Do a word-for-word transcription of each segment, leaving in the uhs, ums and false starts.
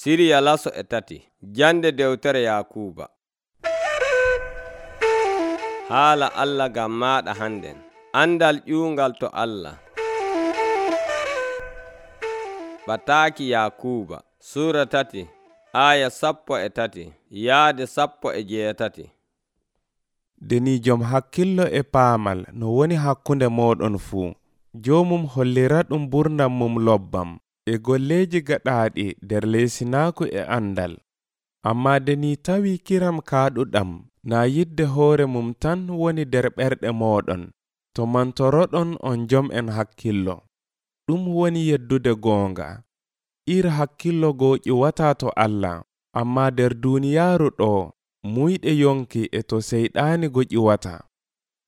Siriya laso e tati. Jande dewtere Yakuuba. Haala Allah ngam maɗa hannden. Andal ƴuungal to Allah. Bataaki Yakuuba Suura tati aya sappo e tati yaade sappo e jeetati. Denijom hakkillo e paamal no woni hakkunde mooɗon fuu. Joomum hollira ɗum ɓurnam mum lobbam e golleeji gaɗaaɗi nder leesinaaku e andal. Ammaa deni tawi kiram kaaɗuɗam naa yidde hoore mum tan woni nder ɓerɗe mooɗon, to mantoroɗon on jom en hakkillo. Ɗum woni yeddude goonga. Ir hakkillo goo ƴiwataa to Allah, ammaa nder duuniyaaru ɗo muyɗe yonki e to seyɗaani go ƴiwata.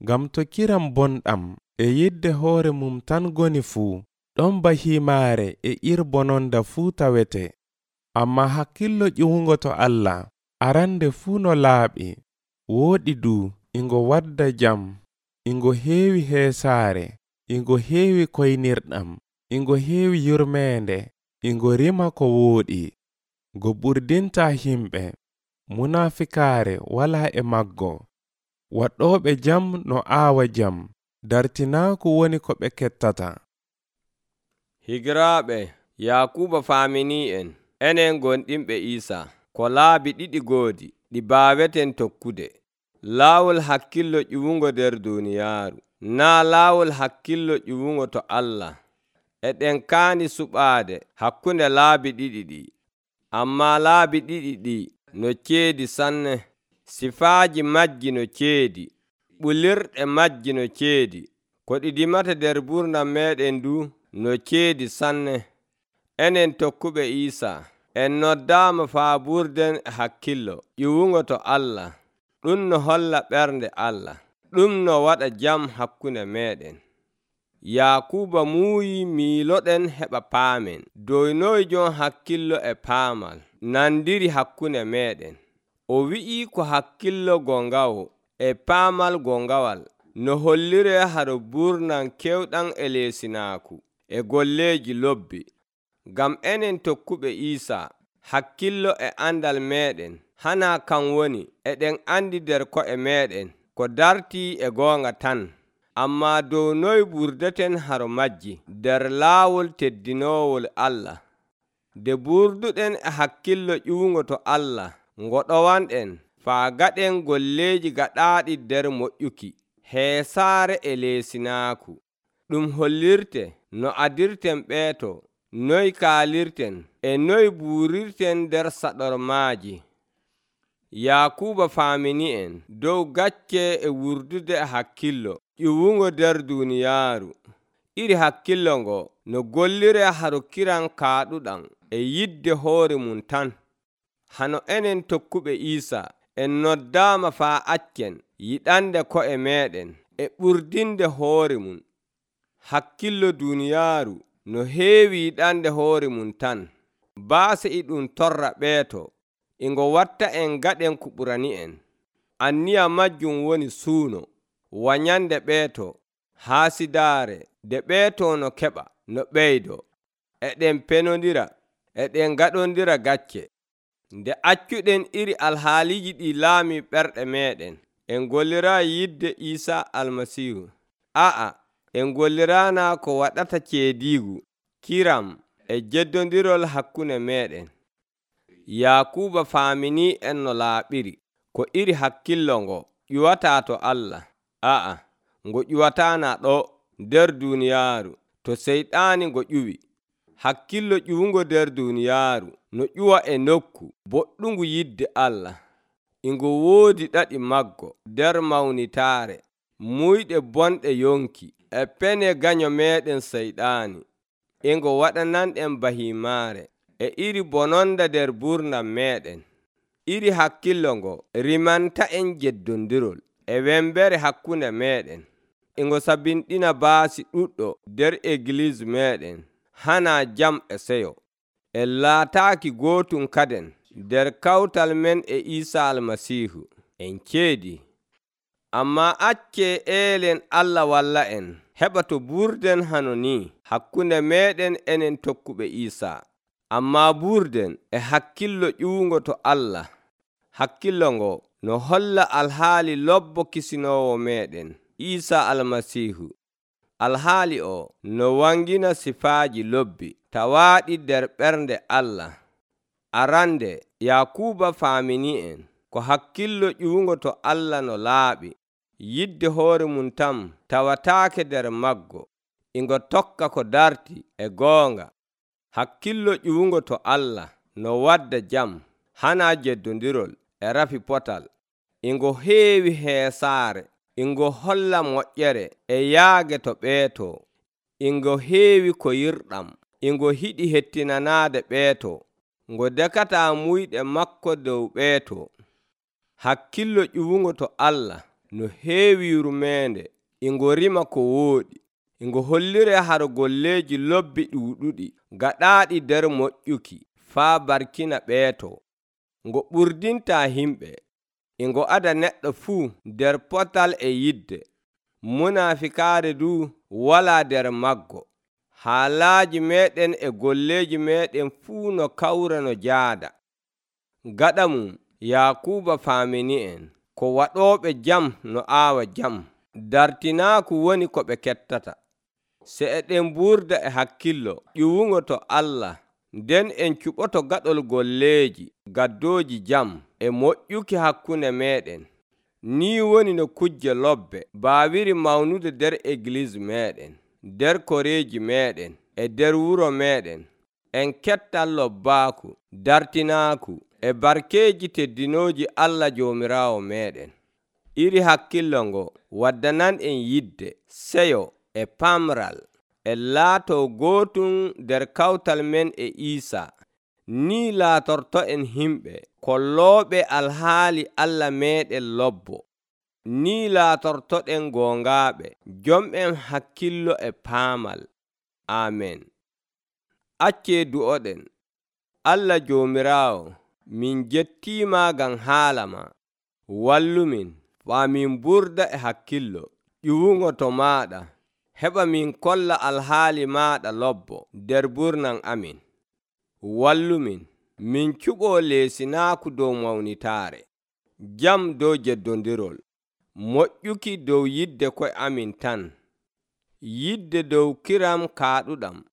Ngam to kiram bonɗam e yidde hoore mum tan goni fuu, ɗon ba himaare e ir bononda fuu tawete. Ammaa hakkillo ƴiwugo to Allah arande fuu no laaɓi, wooɗi du, ingo wadda jam, ingo heewi heesaare, ingo heewi koynirɗam, ingo heewi yurmeende, ingo rima ko wooɗi, go ɓurdinta himɓe, munafikaare walaa e maggo, waɗɗooɓe jam no aawa jam, dartinaaku woni ko ɓe kettata. Higiraaɓe, Yakuuba faaminii en, enen gonɗinɓe Iisaa, ko laabi ɗiɗi goodi, ɗi baaweten tokkude. Laawol hakkillo ƴiwugo nder duuniyaaru, naa laawol hakkillo ƴiwugo to Allah. Eɗen kaani suɓaade hakkunde laabi ɗiɗi ɗi, ammaa laabi ɗiɗi ɗi no ceedi sanne. Sifaaji majji no ceedi, ɓulirɗe majji no ceedi, ko ɗi dimata nder ɓurnam meeɗen du no ceedi sanne. Enen tokkuɓe Iisaa en noddaama faa ɓurden hakkillo ƴiwugo to Allah. Ɗum no holla ɓernde Allah, ɗum no waɗa jam hakkunde meeɗen. Yakuuba muuyi miiloɗen heɓa paamen dow noy jon hakkillo e paamal nandiri hakkunde meeɗen. O wi'ii ko hakkillo gongawo e paamal gongawal no hollire haro ɓurnam kewɗam e leesinaaku e golleeji lobbi. Ngam enen tokkuɓe Iisaa, hakkillo e andal meeɗen hana kan woni eɗen andi nder ko'e meeɗen ko dartii e goonga tan, ammaa dow noy ɓurdeten haro majji nder laawol teddinoowol Allah. Nde ɓurduɗen e hakkillo ƴiwugo to Allah, ngoɗowanɗen faa gaɗen golleeji gaɗaaɗi nder moƴƴuki, heesaare e leesinaaku. Ɗum hollirte no adirten ɓeeto, noy kaalirten e noy buurirten nder saɗormaaji. Yakuuba faamini en dow gacce e wurdude e hakkillo ƴiwugo nder duuniyaaru. Iri hakkillo ngo no gollire haro kiran kaaɗuɗam e yidde hoore mum tan. Hano enen tokkuɓe Iisaa en noddaama faa accen yiɗande ko'e meeɗen e ɓurdinde hoore mum. Hakkillo duuniyaaru no heewi yiɗande hoore mum tan. Baase e ɗum torra ɓeeto, ingo watta en gaɗen ko ɓurani en. Anniya majjum woni suuno, wanyande ɓeeto, haasidaare, de ɓeeto no keɓa, no ɓeydo, eɗen penondira, eɗen gaɗondira gacce. Nde accuɗen iri alhaaliji ɗi laami ɓerɗe meeɗen, en gollira yidde Iisaa almasihu. A'a, en gollirana ko waɗata ceediigu, kiram e jeddondirol hakkunde meeɗen. Yakuuba faamini en no laaɓiri, ko iri hakkillo ngo ƴiwataa to Allah. A'a, ngo ƴiwataana ɗo nder duuniyaaru, to seyɗaani ngo ƴuwi. Hakkillo ƴiwugo nder duuniyaaru no ƴuwa e nokku boɗɗungu yidde Allah. Ingo woodi ɗaɗi maggo nder mawnitaare, muyɗe bonɗe yonki e pene ganyo meeɗen seyɗaani. Ingo waɗananɗen bahimaare e iri bononda nder ɓurnam meeɗen. Iri hakkillo ngo rimanta en jeddondirol e wembere hakkunde meeɗen. Ingo sabinɗina baasi ɗuɗɗo nder Egliis meeɗen, hana jam e seyo. En laataaki gootum kaden nder kawtal men e Iisaa almasihu. En ceedi. Ammaa acce eelen Allah walla en heɓa to ɓurden hano ni hakkunde meeɗen enen tokkuɓe Iisaa. Ammaa burden e hakkillo ƴuwungo to Allah, hakkillo ngo no holla alhaali lobbo kisinoowo meeɗen Iisaa Almasiihu. Alhaali o no wangina sifaaji lobbi tawaaɗi nder ɓernde Allah. Arande Yakuuba faamini'en ko hakkillo ƴuwungo to Allah no laaɓi. Yidde hoore mum tan tawataake nder maggo, ingo tokka ko darti e goonga. Hakkillo ƴuwungo to Allah no wadda jam, hana jeddondirol e rafi potal. Ingo heewi heesaare, ingo holla moƴƴere e yaage to ɓeeto. Ingo heewi ko yirɗam, ingo hiɗi hettinanaade ɓeeto. Ngo dekataa muyɗe makko dow ɓeeto. Hakkillo ƴuwungo to Allah no heewi yurmeende, ingo rima ko wooɗi. Ingo hollire har golleeji lobbi ɗuuɗuɗi gaɗaaɗi nder moƴƴuki faa barkina ɓeeto. Ngo ɓurdintaa himɓe, ingo ada neɗɗo fuu nder potal e yidde. Munafikaare du walaa nder maggo. Haalaaji meeɗen e golleeji meeɗen fuu no kawra no jaada. Gaɗa mum Yakuuba faamini'en ko waɗooɓe jam no aawa jam, dartinaaku woni ko ɓe kettata. Se eɗen burda e hakkillo ƴuwungo to Allah, nden en cuɓoto gaɗol golleeji gaddooji jam e moƴƴuki hakkunde meeɗen. Ni woni no kujje lobbe baawiri mawnude nder Egliis meeɗen, nder koreeji meeɗen e nder wuro meeɗen. En kettan lobbaaku, dartinaaku e barkeeji teddinooji Allah Joomiraawo meeɗen. Iri hakkillo ngo waddanan en yidde, seyo e pamral e laato gootum nder kawtal men e Iisaa. Ni laatorto en himɓe kollooɓe alhaali Allah meeɗen lobbo. Ni laatortoɗen goongaaɓe, jom'en hakkillo e paamal. Amen. Accee du'oɗen. Allah Joomiraawo, min jettiima ngam haala ma. Wallumin faa min burda e hakkillo ƴuwungo to maaɗa, heɓa min kolla alhaali maaɗa lobbo nder burnan amin. Wallumin min cuɓoo leesinaaku dow mawnitaare, jam dow jeddondirol, moƴƴuki dow yidde ko'e amin tan, yidde dow kiram kaaɗuɗam.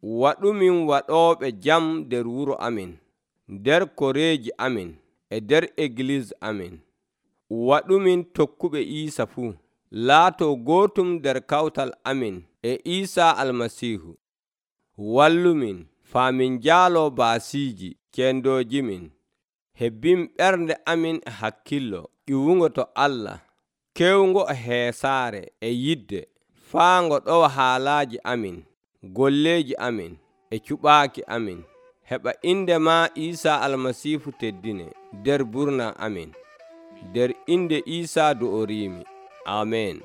Waɗumin waɗooɓe jam nder wuro amin, nder koreeji amin e nder Egliis amin. Waɗumin tokkuɓe Iisa fuu, laato gootum nder kawtal amin e Iisaa Almasiihu. Wallumin faa min njaaloo baasiiji kendoojimin, hebbin ɓernde amin e hakkillo ƴuwungo to Allah, kewngo e heesaare e yidde, faa ngo ɗowa haalaaji amin, golleeji amin e cuɓaaki amin. Heɓa inde maa Iisaa Almasiihu teddine nder burna amin. Nder inde Iisaa do'oriimi. Amen.